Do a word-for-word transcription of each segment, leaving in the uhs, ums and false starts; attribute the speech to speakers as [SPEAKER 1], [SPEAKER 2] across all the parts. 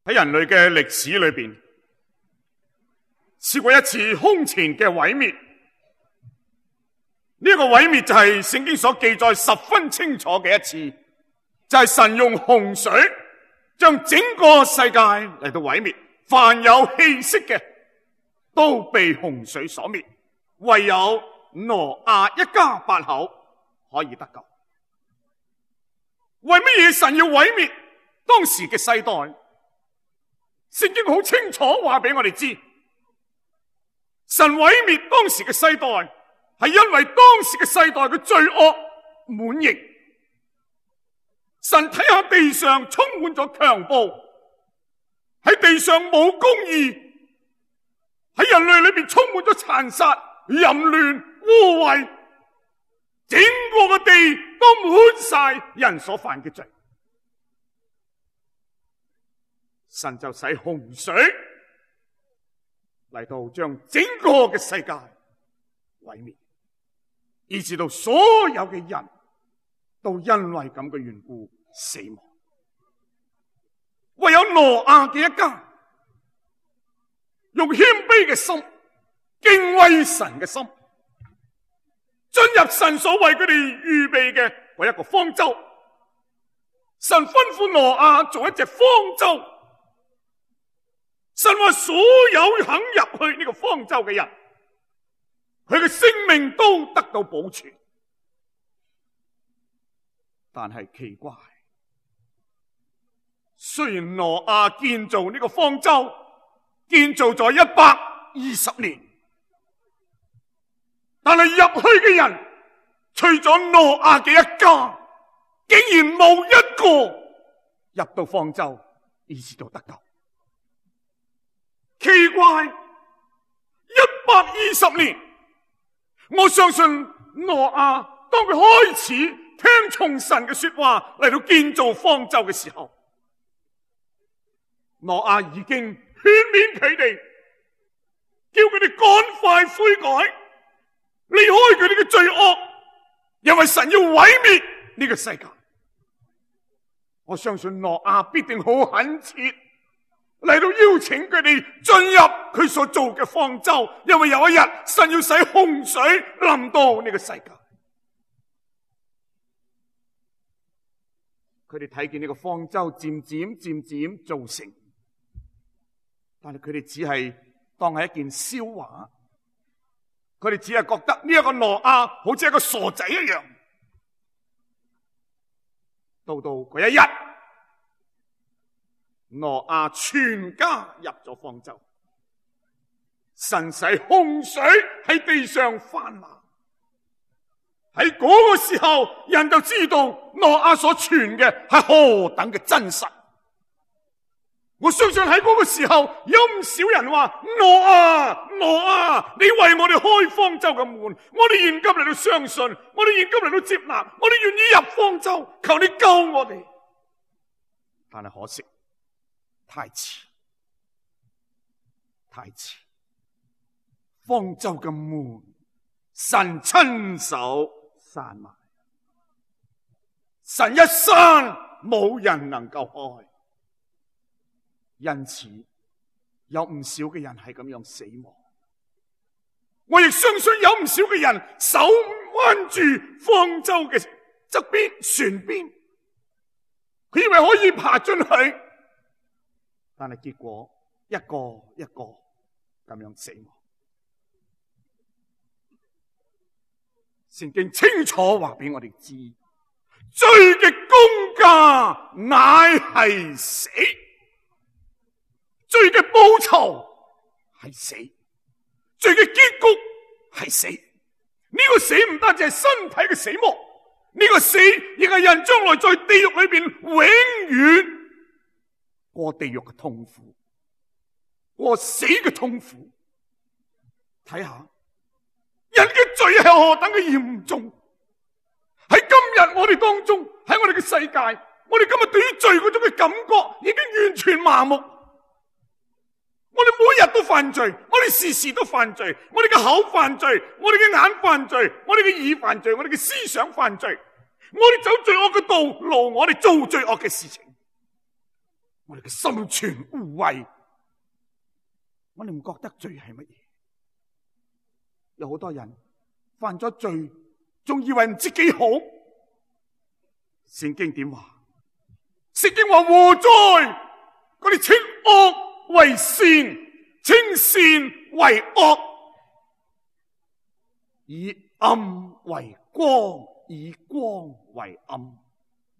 [SPEAKER 1] 喺人類嘅歷史裏邊，試過一次空前嘅毀滅。呢、這個毀滅就係聖經所記載十分清楚嘅一次，就係、是、神用洪水將整個世界嚟到毀滅，凡有氣息嘅都被洪水所滅，唯有挪亞一家八口可以得救。為乜嘢神要毀滅當時嘅世代？聖經好清楚話俾我哋知，神毀滅當時嘅世代，係因為當時嘅世代嘅罪惡滿盈。神睇下地上充滿咗強暴，喺地上冇公義，喺人類裏邊充滿咗殘殺、淫亂、污穢，整個嘅地都滿晒人所犯嘅罪。神就使洪水嚟到將整個嘅世界毀滅，以致到所有嘅人都因為咁嘅緣故死亡。唯有挪亞嘅一家用謙卑嘅心、敬畏神嘅心，進入神所為佢哋預備嘅嗰一個方舟。神吩咐挪亞做一隻方舟。神話所有肯入去呢個方舟嘅人，佢嘅性命都得到保存。但係奇怪，雖然挪亞建造呢個方舟建造咗一百二十年，但係入去嘅人除咗挪亞嘅一家，竟然冇一個入到方舟以至到得救。奇怪，一百二十年，我相信挪亞當佢開始聽從神嘅說話嚟到建造方舟嘅時候，挪亞已經勸勉佢哋，叫佢哋趕快悔改，離開佢哋嘅罪惡，因為神要毀滅呢個世界。我相信挪亞必定好懇切嚟到邀請佢哋進入佢所做嘅方舟，因為有一日神要使洪水臨到呢個世界。佢哋睇見呢個方舟漸漸漸漸造成，但係佢哋只係當係一件笑話，佢哋只係覺得呢一個挪亞好似一個傻仔一樣。到到嗰一日，挪亞全家入咗方舟，神使洪水喺地上泛濫。喺嗰個時候，人就知道挪亞所傳嘅係何等嘅真實。我相信喺嗰個時候，有唔少人話：挪亞，挪亞，你為我哋開方舟嘅門，我哋現今嚟到相信，我哋現今嚟到接納，我哋願意入方舟，求你救我哋。但係可惜，太遲，太遲！方舟嘅門，神親手閂埋，神一閂，冇人能夠開。因此，有唔少嘅人係咁樣死亡。我亦相信有唔少嘅人手彎住方舟嘅側邊船邊，佢以為可以爬進去。但係結果一個一個咁樣死亡。聖經清楚話俾我哋知，罪嘅工價乃係死，罪嘅報酬係死，罪嘅結局係死。呢個死唔單止係身體嘅死亡，呢個死亦係人將來在地獄裏邊永遠過地獄嘅痛苦，過死嘅痛苦。睇下人嘅罪係何等嘅嚴重。喺今日我哋當中，喺我哋嘅世界，我哋今日對於罪嗰種嘅感覺已經完全麻木。我哋每日都犯罪，我哋時時都犯罪，我哋嘅口犯罪，我哋嘅眼犯罪，我哋嘅耳犯罪，我哋嘅思想犯罪，我哋走罪惡嘅道路，我哋做罪惡嘅事情。我哋嘅心存污穢，我哋唔覺得罪係乜嘢。有好多人犯咗罪，仲以為唔知幾好。聖經點話？聖經話禍哉，嗰啲稱惡為善，稱善為惡，以暗為光，以光為暗，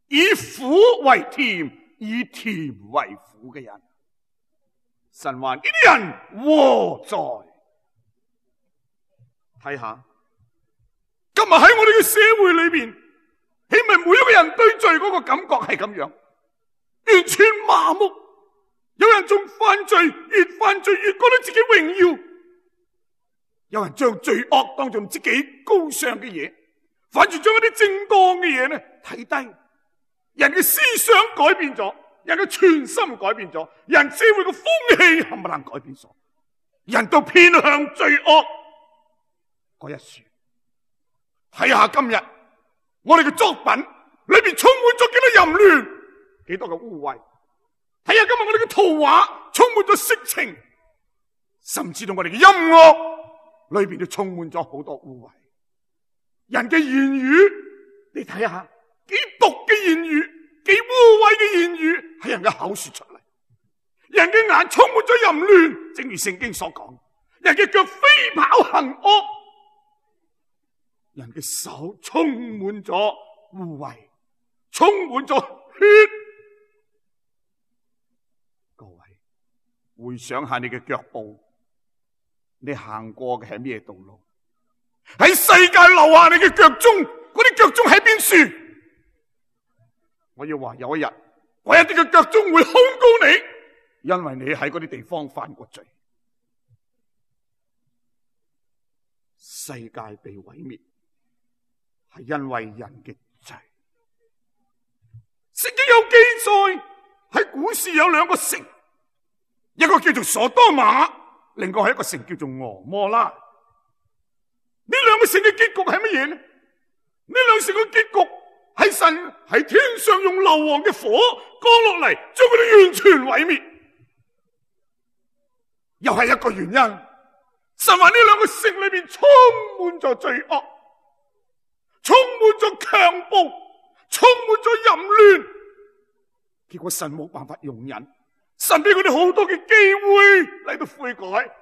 [SPEAKER 1] 以苦為甜，以甜為苦嘅人。神話呢啲人禍哉。睇下今日喺我哋嘅社會裏邊，係咪每一個人對罪嗰個感覺係咁樣，完全麻木？有人仲犯罪，越犯罪越覺得自己榮耀；有人將罪惡當作唔知幾高尚嘅嘢，反而將一啲正當嘅嘢呢睇低。人嘅思想改變咗，人嘅全心改變咗，人社會嘅風氣冚唪唥改變咗，人都偏向罪惡嗰一處。睇下今日我哋嘅作品裏邊充滿咗幾多淫亂，幾多嘅污穢。睇下今日我哋嘅圖畫充滿咗色情，甚至到我哋嘅音樂裏邊都充滿咗好多污穢。人嘅言語，你睇下幾毒嘅言語，幾污穢嘅言語喺人嘅口說出嚟。人嘅眼充滿咗淫亂，正如聖經所講，人嘅腳飛跑行惡，人嘅手充滿咗污穢，充滿咗血。各位回想下你嘅腳步，你行過嘅係咩道路？喺世界留下你嘅腳蹤，嗰啲腳蹤喺邊處？我要話有一日，嗰一啲嘅腳蹤會控告你，因為你喺嗰啲地方犯過罪。世界被毀滅係因為人嘅罪。聖經有記載，喺古時有兩個城，一個叫做所多瑪，另外係一個城叫做俄摩拉。呢兩個城嘅結局係乜嘢呢？呢兩城嘅結局係神喺天上用硫磺嘅火降落嚟，將佢哋完全毀滅。又係一個原因，神話呢兩個城裏邊充滿咗罪惡，充滿咗強暴，充滿咗淫亂。結果神冇辦法容忍，神俾佢哋好多嘅機會嚟到悔改，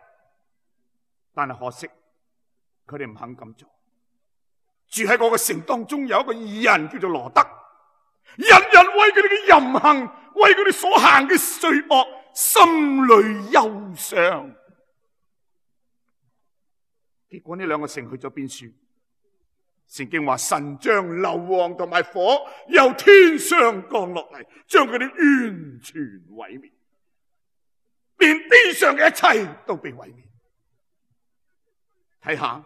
[SPEAKER 1] 但係可惜佢哋唔肯咁做。住喺嗰個城當中有一個義人叫做羅德，日日為佢哋嘅淫行，為佢哋所行嘅罪惡，心裏憂傷。結果呢兩個城去咗邊處？聖經話神將硫磺同埋火由天上降落嚟，將佢哋完全毀滅，連地上嘅一切都被毀滅。睇下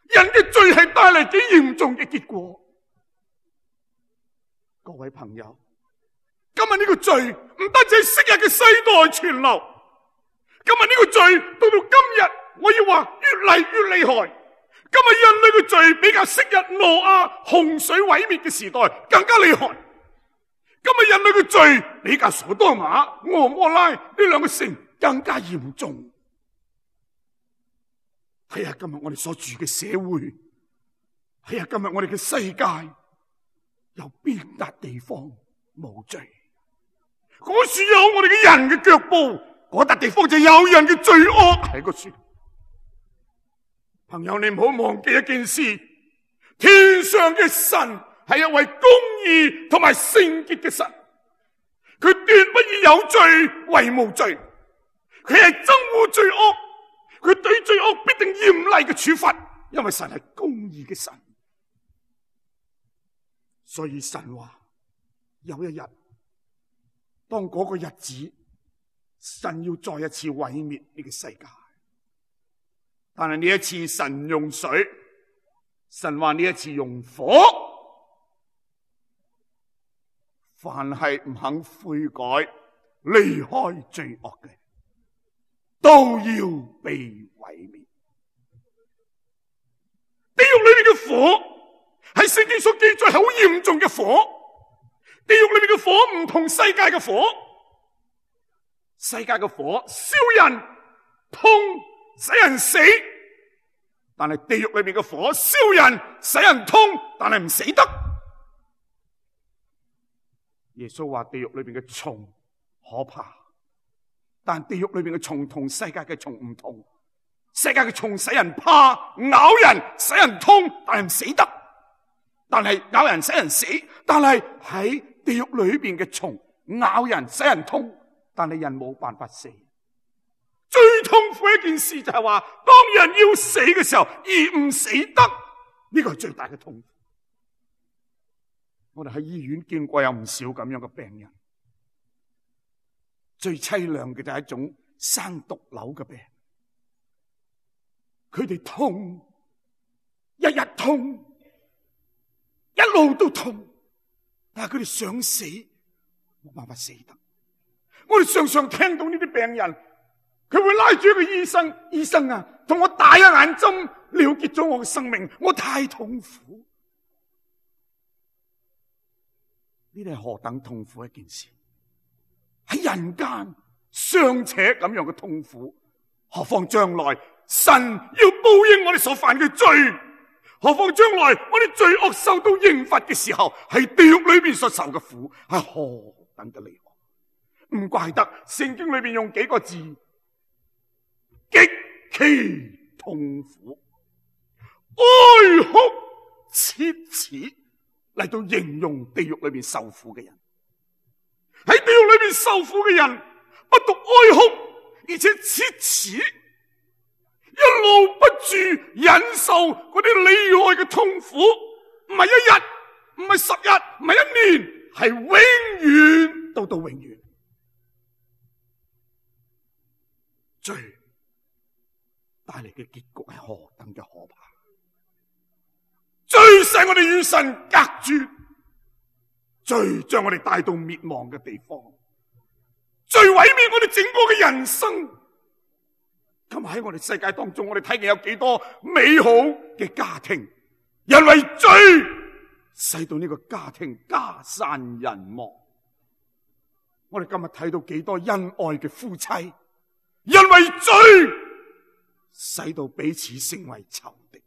[SPEAKER 1] 人嘅罪係帶嚟幾嚴重嘅結果。各位朋友，今日呢個罪唔單止係昔日嘅世代傳流，今日呢個罪到到今日，我要話越嚟越厲害。今日人類嘅罪比較昔日挪亞洪水毀滅嘅時代更加厲害。今日人類嘅罪比較所多瑪、俄摩拉呢兩個城更加嚴重。睇下今日我哋所住嘅社會，睇下今日我哋嘅世界，有邊笪地方冇罪？嗰處有我哋嘅人嘅腳步，嗰笪地方就有人嘅罪惡喺嗰處。朋友，你唔好忘記一件事，天上嘅神係一位公義同埋聖潔嘅神，佢斷不以有罪為無罪，佢係憎惡罪惡，佢對罪惡必定嚴厲嘅處罰，因為神係公義嘅神。所以神話有一日，當嗰個日子，神要再一次毀滅呢個世界。但係呢一次神用水，神話呢一次用火，凡係唔肯悔改、離開罪惡嘅，都要被毀滅。地獄裏面嘅火係聖經所記載係好嚴重嘅火，地獄裏面嘅火唔同世界嘅火，世界嘅火燒人痛，使人死，但係地獄裏面嘅火燒人使人痛，但係唔死得。耶穌話地獄裏面嘅蟲可怕，但地獄裏面嘅蟲同世界嘅蟲唔同。世界嘅蟲使人怕，咬人使人痛，但係唔死得。但係咬人使人死，但係喺地獄裏邊嘅蟲咬人使人痛，但係人冇辦法死。最痛苦一件事就係話，當人要死嘅時候而唔死得，呢個係最大嘅痛苦。我哋喺醫院見過有唔少咁樣嘅病人，最淒涼嘅就係一種生毒瘤嘅病。佢哋痛，日日痛，一路都痛，但係佢哋想死，冇辦法死得。我哋常常聽到呢啲病人，佢會拉住一個醫生，醫生啊，同我打一眼針，了結咗我嘅生命，我太痛苦。呢啲係何等痛苦一件事，喺人間尚且咁樣嘅痛苦，何況將來神要報應我哋所犯嘅罪，何況將來我哋罪惡受到刑罰嘅時候，喺地獄裏邊所受嘅苦係何等嘅厲害。唔怪得聖經裏邊用幾個字極其痛苦，哀哭切齒嚟到形容地獄裏邊受苦嘅人。喺地獄裏邊受苦嘅人不獨哀哭，而且切齒，一路不住忍受嗰啲厲害嘅痛苦，唔係一日，唔係十日，唔係一年，係永遠到到永遠。罪帶嚟嘅結局係何等嘅可怕！罪使我哋與神隔絕，罪將我哋帶到滅亡嘅地方，罪毀滅我哋整個嘅人生。今日喺我哋世界當中，我哋睇見有幾多美好嘅家庭，因為罪使到呢個家庭家散人亡。我哋今日睇到幾多恩愛嘅夫妻，因為罪使到彼此成為仇敵。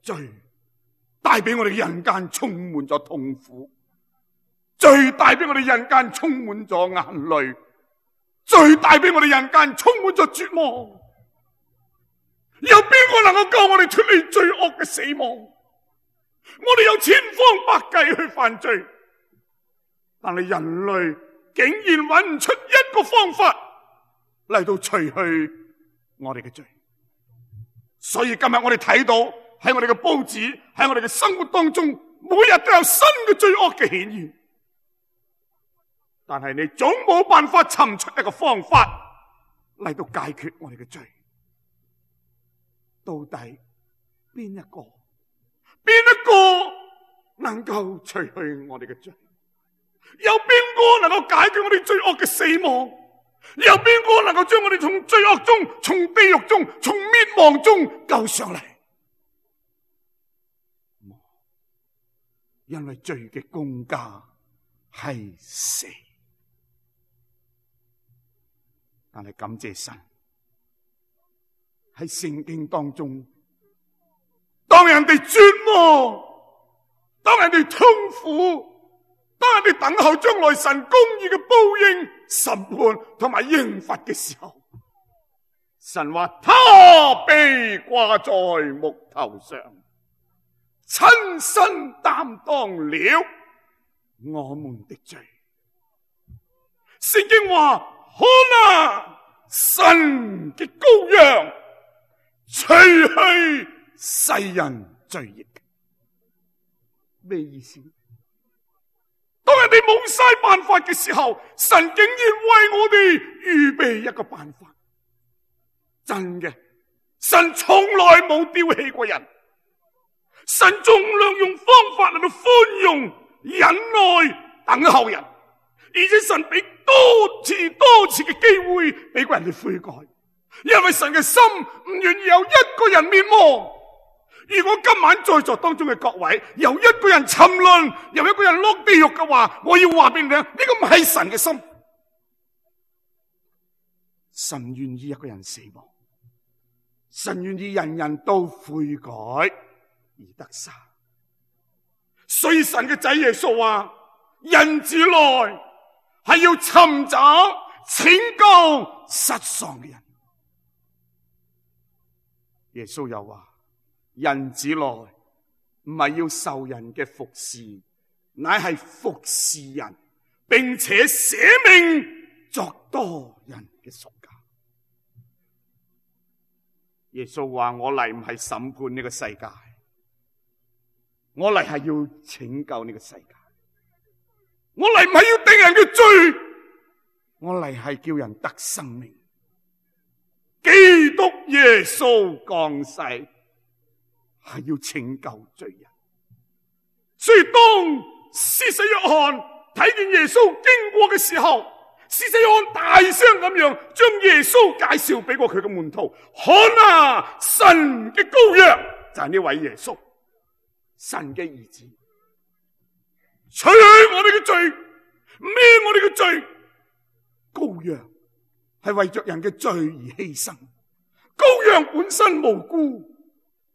[SPEAKER 1] 罪帶俾我哋人間充滿咗痛苦，罪帶俾我哋人間充滿咗眼淚，罪帶俾我哋人間充滿咗絕望。有邊個能夠救我哋脫離罪惡嘅死亡？我哋有千方百計去犯罪，但係人類竟然揾唔出一個方法嚟到除去我哋嘅罪。所以今日我哋睇到喺我哋嘅報紙，喺我哋嘅生活當中，每日都有新嘅罪惡嘅顯現。但係你總冇辦法尋出一個方法嚟到解決我哋嘅罪。到底邊一個邊一個能夠除去我哋嘅罪？有邊個能夠解決我哋罪惡嘅死亡？有邊個能夠將我哋從罪惡中、從地獄中、從滅亡中救上嚟？因為罪嘅工價係死。但係感謝神，喺聖經當中，當人哋絕望，當人哋痛苦，當人哋等候將來神公義嘅報應、審判同埋刑罰嘅時候，神話他被掛在木頭上，親身擔當了我們的罪。聖經話，看啊，神嘅羔羊，除去世人罪孽。咩意思？當人哋冇晒辦法嘅時候，神竟然為我哋預備一個辦法。真嘅，神從來冇丟棄過人，神盡量用方法嚟到寬容、忍耐、等候人，而且神俾多次多次嘅機會俾個人哋悔改，因為神嘅心唔願意有一個人滅亡，如果今晚在座當中嘅各位有一個人沉淪，有一個人落地獄嘅話，我要話俾你聽，呢個唔係神嘅心。神願意一個人死亡，神願意人人都悔改而得生。所以神嘅仔耶穌話：人子來係要尋找拯救失喪嘅人。耶穌又話：人子來唔係要受人嘅服侍，乃係服侍人，並且捨命作多人嘅贖價。耶穌話：我嚟唔係審判呢個世界，我嚟係要拯救呢個世界。我嚟唔係要定人嘅罪，我嚟係叫人得生命。基督耶穌降世係要拯救罪人。所以當施洗約翰睇見耶穌經過嘅時候，施洗約翰大聲咁樣將耶穌介紹俾過佢嘅門徒。看啊，神嘅羔羊就係呢位耶穌，神嘅兒子，取去我哋嘅罪，孭我哋嘅罪。羔羊係為着人嘅罪而犧牲，羔羊本身無辜，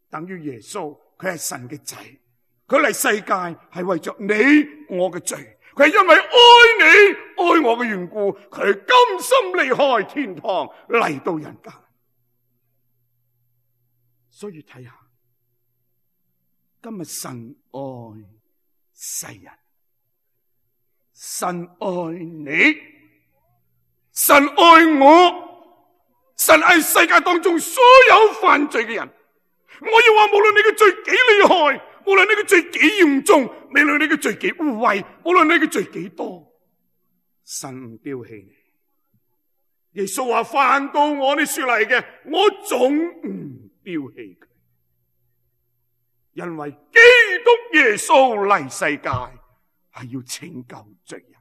[SPEAKER 1] 等於耶穌佢係神嘅仔，佢嚟世界係為着你我嘅罪，佢係因為愛你愛我嘅緣故，佢甘心離開天堂嚟到人間。所以睇下今日神愛世人，神愛你，神愛我，神愛世界當中所有犯罪嘅人。我要話，無論你嘅罪幾厲害，無論你嘅罪幾嚴重，無論你嘅罪幾污穢，無論你嘅罪幾多，神唔丟棄你。耶穌話：凡到我呢處嚟嘅，我總唔丟棄佢，因為基督耶穌嚟世界係要拯救罪人。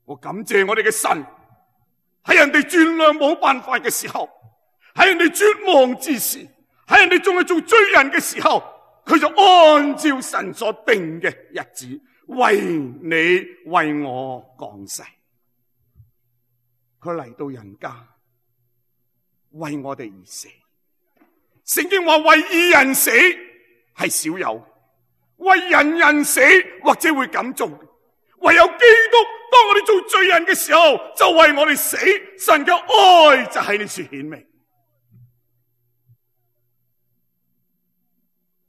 [SPEAKER 1] 我感謝我哋嘅神，喺人哋轉量冇辦法嘅時候，喺人哋絕望之時，喺人哋仲係做罪人嘅時候，佢就按照神所定嘅日子，為你為我降世。佢嚟到人間，為我哋而死。聖經話為義人死係少有，為人人死或者會咁做，唯有基督當我哋做罪人嘅時候就為我哋死。神嘅愛就喺呢處顯明。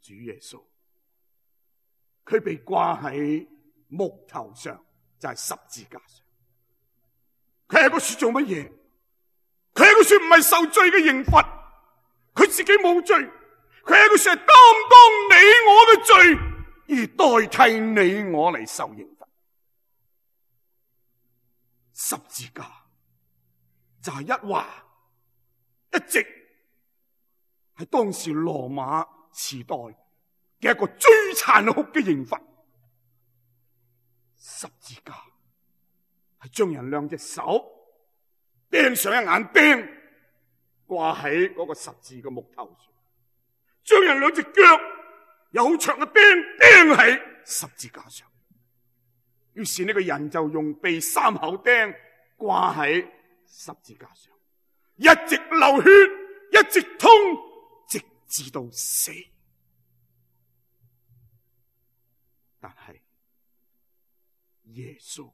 [SPEAKER 1] 主耶穌佢被掛喺木頭上，就係十字架上。佢係個樹做乜嘢？佢係個樹唔係受罪嘅刑罰，佢自己冇罪，佢係個樹係擔當你我嘅罪，而代替你我嚟受刑罰。十字架就係一劃，一直係當時羅馬時代嘅一個最殘酷嘅刑罰。十字架係將人兩隻手釘上一眼釘，掛喺嗰個十字嘅木頭上，將人兩隻腳有好長嘅釘釘喺十字架上。於是呢個人就用被三口釘掛喺十字架上，一直流血，一直痛，直至到死。但係耶穌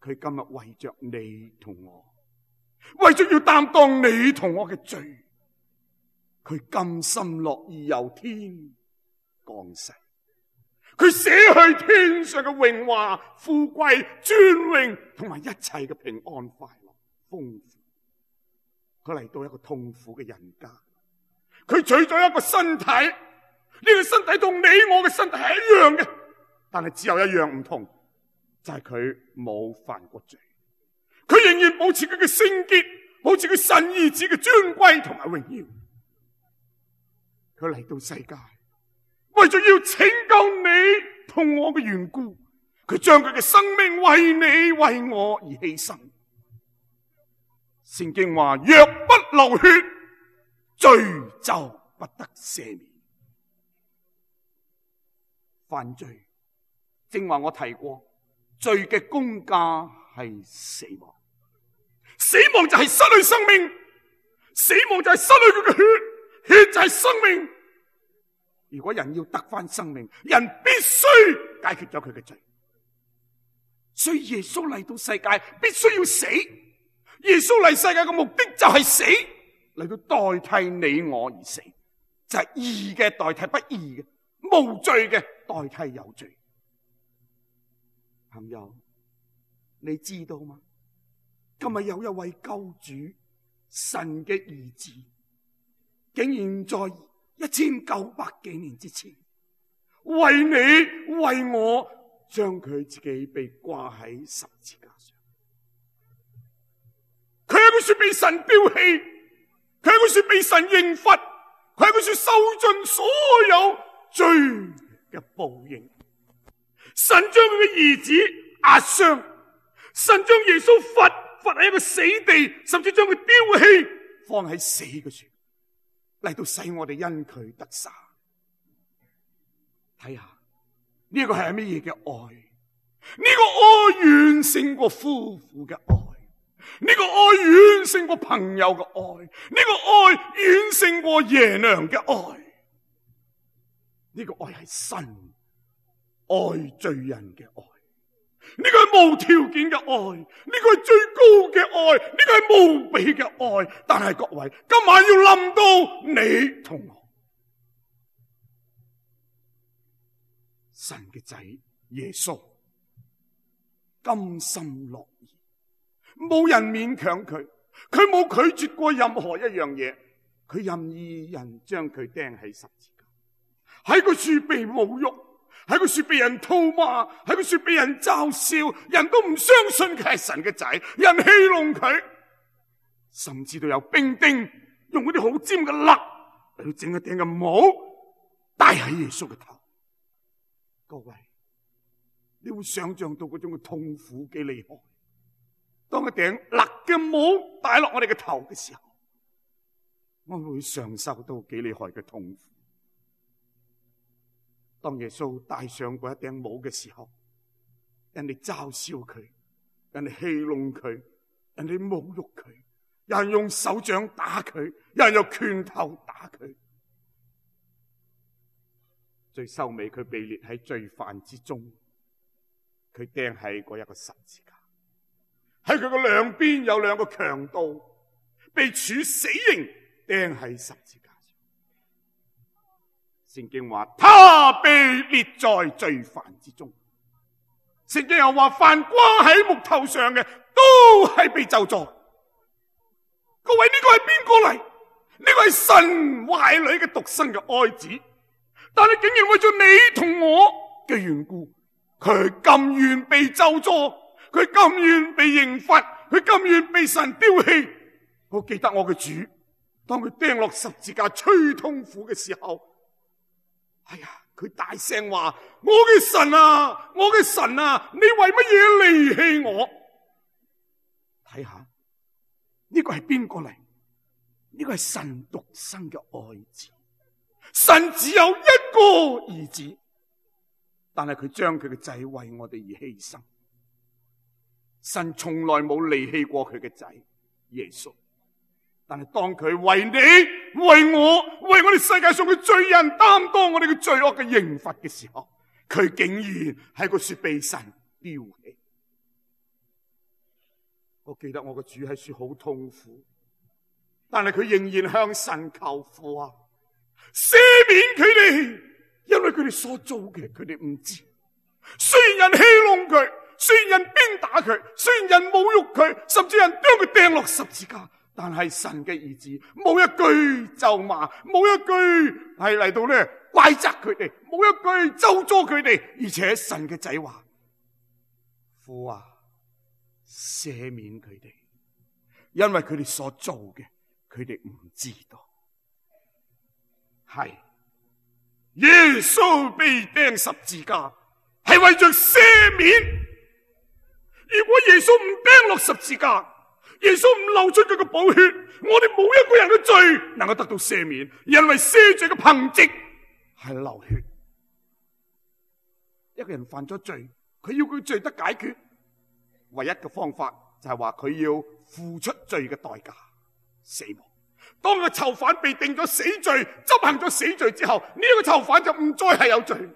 [SPEAKER 1] 佢今日為着你同我，為着要擔當你同我嘅罪，佢甘心樂意由天降世，佢捨去天上嘅榮華富貴尊榮同埋一切嘅平安快樂豐富，佢嚟到一個痛苦嘅人間，佢取咗一個身體，呢個身體同你我嘅身體係一樣嘅，但係只有一樣唔同，就係佢冇犯過罪，佢仍然保持佢嘅聖潔，保持佢神兒子嘅尊貴同埋榮耀。佢嚟到世界，為咗要拯救你同我嘅緣故，佢將佢嘅生命為你為我而犧牲。聖經話：若不流血，罪就不得赦免。犯罪，正話我提過，罪嘅工價係死亡，死亡就係失去生命，死亡就係失去佢嘅血，血就係生命。如果人要得返生命，人必須解決咗佢嘅罪。所以耶穌嚟到世界必須要死，耶穌嚟世界嘅目的就係死，嚟到代替你我而死，就係義嘅代替不義嘅，無罪嘅代替有罪。朋友，你知道嗎？今日有一位救主，神嘅兒子，竟然在一千九百幾年之前，為你為我，將佢自己被掛喺十字架上。佢係佢說被神丟棄，佢係佢說被神刑罰，佢係佢說受盡所有罪嘅報應。神將佢嘅兒子壓傷，神將耶穌罰罰喺一個死地，甚至將佢丟棄，放喺死嘅處，嚟到使我哋因佢得生。睇下呢個係乜嘢嘅愛？呢個愛遠勝過夫婦嘅愛，呢個愛遠勝過朋友嘅愛，呢個愛遠勝過爺娘嘅愛。呢個愛係神愛罪人嘅愛，呢個係無條件嘅愛，呢個係最高嘅愛，呢個係無比嘅愛。但係各位，今晚要臨到你同我，神嘅仔耶穌甘心樂意，冇人勉強佢，佢冇拒絕過任何一樣嘢，佢任意人將佢釘喺十字架，喺佢處被侮辱，喺佢處被人吐罵，喺佢處被人嘲笑，人都唔相信佢係神嘅仔，人戲弄佢，甚至都有兵丁用嗰啲好尖嘅肋嚟到整一頂嘅帽戴喺耶穌嘅頭。各位，你會想象到嗰種嘅痛苦幾厲害？當一頂肋嘅帽戴落我哋嘅頭嘅時候，我會嘗受到幾厲害嘅痛苦。當耶穌戴上嗰一頂帽嘅時候，人哋嘲笑佢，人哋戲弄佢，人哋侮辱佢，有人用手掌打佢，有人用拳頭打佢。最收尾佢被列喺罪犯之中，佢釘喺嗰一個十字架，喺佢嘅兩邊有兩個強盜被處死刑，釘喺十字架上。聖經話他被列在罪犯之中，聖經又話凡掛喺木頭上嘅都係被咒詛。各位，呢個係邊個嚟？呢個係神懷裏嘅獨生嘅愛子，但係竟然為咗你同我嘅緣故，佢甘願被咒詛，佢甘願被刑罰，佢甘願被神丟棄。我記得我嘅主，當佢釘落十字架最痛苦嘅時候，哎呀，佢大聲話：我嘅神啊，我嘅神啊，你為乜嘢離棄我？睇下呢個係邊個嚟？呢個係神獨生嘅愛子。神只有一個兒子，但係佢將佢嘅仔為我哋而犧牲。神從來冇離棄過佢嘅仔耶穌，但係當佢為你、為我、為我哋世界上嘅罪人擔當我哋嘅罪惡嘅刑罰嘅時候，佢竟然喺個說被神丟棄。我記得我個主喺說好痛苦，但係佢仍然向神求父啊，赦免佢哋，因為佢哋所做嘅佢哋唔知。雖然人戲弄佢，雖然人鞭打佢，雖然人侮辱佢，甚至人將佢掟落十字架，但係神嘅兒子冇一句咒罵，冇一句係嚟到咧怪責佢哋，冇一句咒詛佢哋，而且神嘅仔話：父啊，赦免佢哋，因為佢哋所做嘅佢哋唔知道。係耶穌被釘十字架係為着赦免。如果耶穌唔釘落十字架，耶穌唔流出佢嘅寶血，我哋冇一個人嘅罪能夠得到赦免，因為赦罪嘅憑藉係流血。一個人犯咗罪，佢要佢罪得解決，唯一嘅方法就係話佢要付出罪嘅代價，死亡。當個囚犯被定咗死罪，執行咗死罪之後，呢、這個囚犯就唔再係有罪。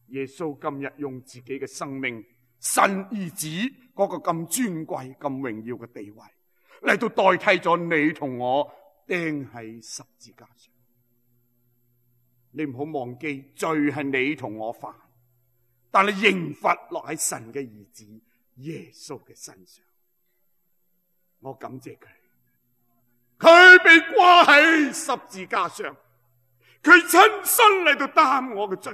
[SPEAKER 1] 耶穌今日用自己嘅生命，神兒子嗰個咁尊貴、咁榮耀嘅地位，嚟到代替咗你同我釘喺十字架上。你唔好忘記，罪係你同我犯，但係刑罰落喺神嘅兒子耶穌嘅身上。我感謝佢，佢被掛喺十字架上，佢親身嚟到擔我嘅罪。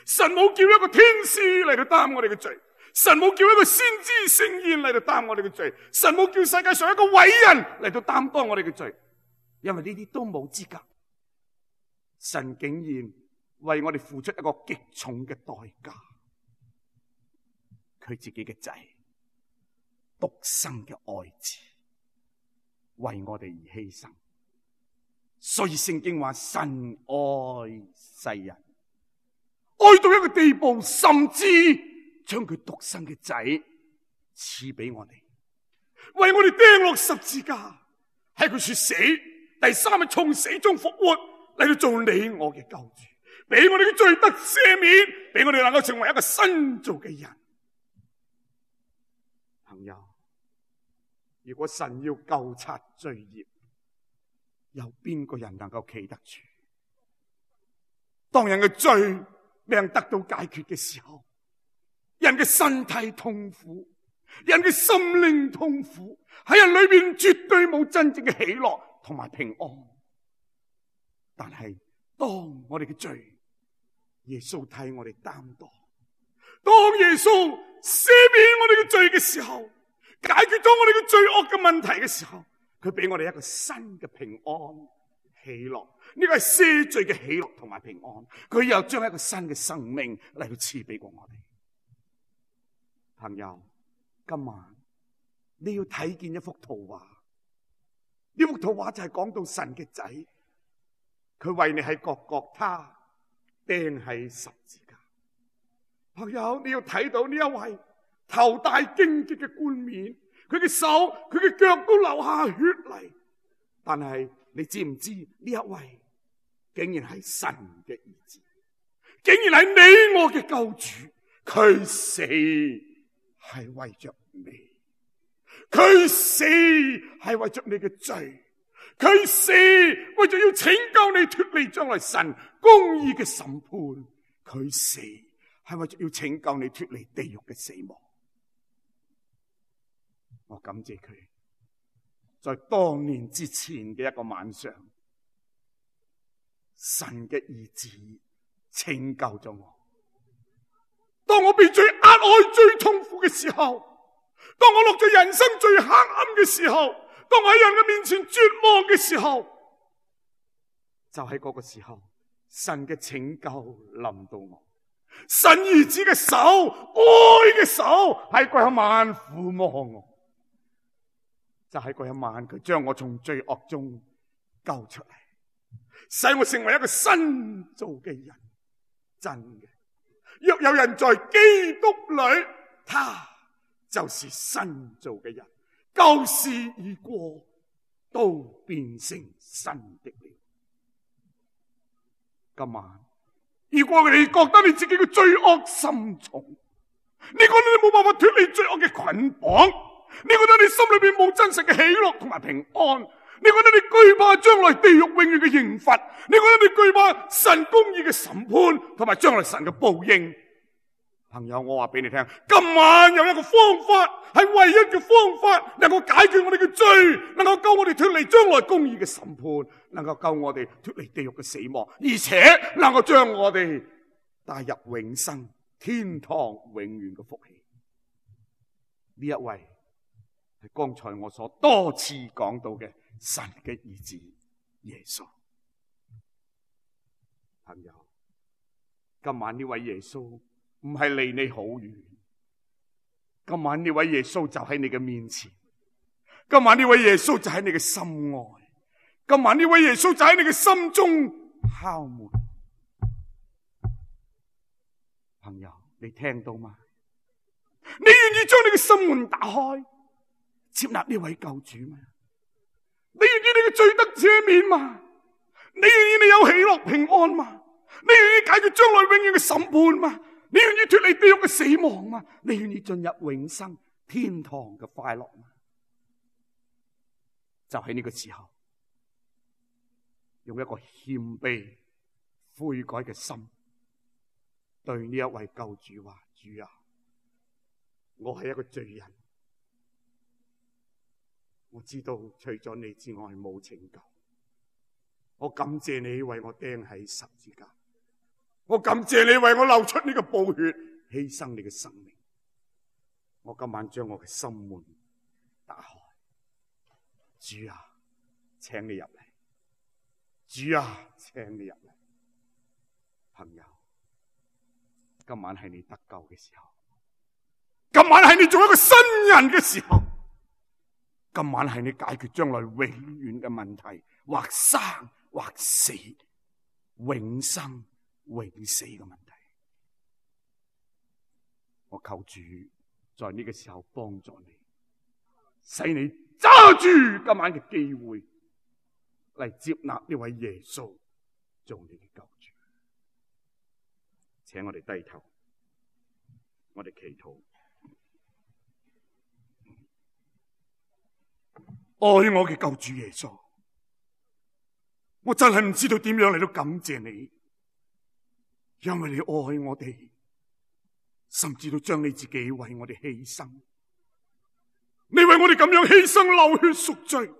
[SPEAKER 1] 神冇叫一個天使嚟到擔我哋嘅罪，神冇叫一個先知聖賢嚟到擔我哋嘅罪，神冇叫世界上一個偉人嚟到擔當我哋嘅罪，因為呢啲都冇資格。神竟然為我哋付出一個極重嘅代價，佢自己嘅仔，獨生嘅愛子，為我哋而犧牲。所以聖經話神愛世人，愛到一個地步，甚至將佢獨生嘅仔賜俾我哋，為我哋釘落十字架，喺佢說死，第三日從死中復活，嚟到做你我嘅救主，俾我哋嘅罪得赦免，俾我哋能夠成為一個新造嘅人。朋友，如果神要究察罪孽，有邊個人能夠企得住？當人嘅罪未能得到解決嘅時候，人嘅身體痛苦，人嘅心靈痛苦，喺人裏邊絕對冇真正嘅喜樂同埋平安。但係當我哋嘅罪，耶穌替我哋擔當，當耶穌赦免我哋嘅罪嘅時候，解決咗我哋嘅罪惡嘅問題嘅時候，佢俾我哋一個新嘅平安喜樂。呢個係赦罪嘅喜樂同埋平安，佢又將一個新嘅生命嚟到賜俾過我哋。朋友，今晚你要睇見一幅圖畫，呢幅圖畫就係講到神嘅仔，佢為你喺各各他釘喺十字架。朋友，你要睇到呢一位頭戴荊棘嘅冠冕，佢嘅手、佢嘅腳都流下血嚟，但係你知唔知呢一位竟然係神嘅兒子，竟然係你我嘅救主，佢死係為着你，佢死係為着你嘅罪，佢死為咗要拯救你脫離將來神公義嘅審判，佢死係為咗要拯救你脫離地獄嘅死亡。我感謝佢，在多年之前嘅一個晚上，神嘅兒子拯救咗我。當我被最壓礙、最痛苦嘅時候，當我落咗人生最黑暗嘅時候，當我喺人嘅面前絕望嘅時候，就喺嗰個時候，神嘅拯救臨到我。神兒子嘅手，愛嘅手喺嗰一晚撫摸我，就喺嗰一晚，佢將我從罪惡中救出嚟，使我成為一個新造嘅人。真嘅，若有人在基督裏，他就是新造嘅人，舊事已過，都變成新的了。今晚，如果你覺得你自己嘅罪惡深重，你覺得你冇辦法脫離罪惡嘅捆綁，你覺得你心裏邊冇真實嘅喜樂同埋平安，你覺得你懼怕將來地獄永遠嘅刑罰，你覺得你懼怕神公義嘅審判同埋將來神嘅報應。朋友，我話俾你聽，今晚有一個方法，係唯一嘅方法，能夠解決我哋嘅罪，能夠救我哋脫離將來公義嘅審判，能夠救我哋脫離地獄嘅死亡，而且能夠將我哋帶入永生天堂永遠嘅福氣。呢一位係剛才我所多次講到嘅神嘅兒子耶穌。朋友，今晚呢位耶穌唔係離你好遠，今晚呢位耶穌就喺你嘅面前，今晚呢位耶穌就喺你嘅心外，今晚呢位耶穌就喺你嘅心中敲門。朋友，你聽到嗎？你願意將你嘅心門打開，接納呢位救主嗎？你願意你嘅罪得赦免嗎？你願意你有喜樂平安嗎？你願意解決將來永遠嘅審判嗎？你願意脫離地獄嘅死亡嗎？你願意進入永生天堂嘅快樂嗎？就喺呢個時候，用一個謙卑悔改嘅心，對呢一位救主話：主啊，我係一個罪人，我知道除咗你之外冇拯救。我感謝你為我釘喺十字架，我感謝你為我流出呢個寶血，犧牲你嘅生命。我今晚將我嘅心門打開，主啊，請你入嚟，主啊，請你入嚟。朋友，今晚係你得救嘅時候，今晚係你做一個新人嘅時候，今晚係你解決將來永遠嘅問題，或生或死，永生永死嘅問題。我求主在呢個時候幫助你，使你揸住今晚嘅機會嚟接納呢位耶穌做你嘅救主。請我哋低頭，我哋祈禱。愛我嘅救主耶穌，我真係唔知道點樣嚟到感謝你，因為你愛我哋，甚至到將你自己為我哋犧牲。你為我哋咁樣犧牲流血贖罪，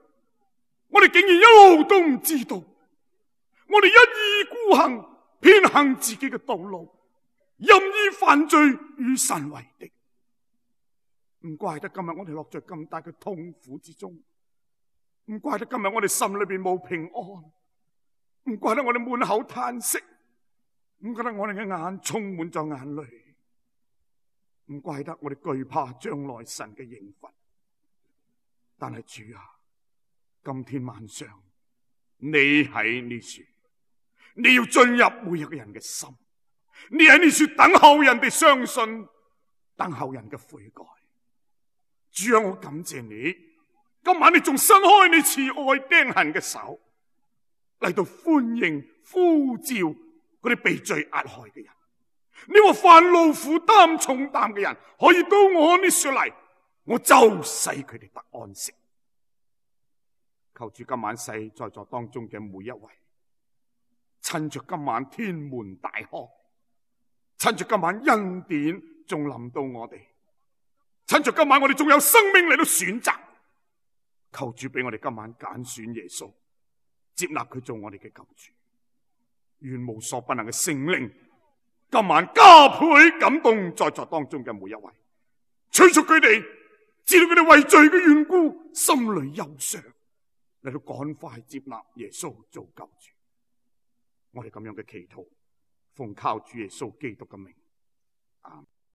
[SPEAKER 1] 我哋竟然一路都唔知道，我哋一意孤行，偏行自己嘅道路，任意犯罪，與神為敵。唔怪得今日我哋落在咁大嘅痛苦之中，唔怪得今日我哋心裏邊冇平安，唔怪得我哋滿口嘆息，唔怪得我哋嘅眼充滿咗眼淚，唔怪得我哋懼怕將來神嘅刑罰。但係主啊，今天晚上你喺呢處，你要進入每一個人嘅心，你喺呢處等候人哋相信，等候人嘅悔改。主啊，我感謝你，今晚你仲伸開你慈愛釘痕嘅手，嚟到歡迎呼召嗰啲被罪壓害嘅人。你話凡勞苦擔重擔嘅人可以到我呢處嚟，我就使佢哋得安息。求主今晚使在座當中嘅每一位，趁着今晚天門大開，趁着今晚恩典仲臨到我哋，趁着今晚我哋仲有生命嚟到選擇，求主俾我哋今晚揀選耶穌，接納佢做我哋嘅救主。願無所不能嘅聖靈今晚加倍感動在座當中嘅每一位，催促佢哋知道佢哋為罪嘅緣故，心裏憂傷，嚟到趕快接納耶穌做救主。我哋咁樣嘅祈禱，奉靠主耶穌基督嘅名，阿們。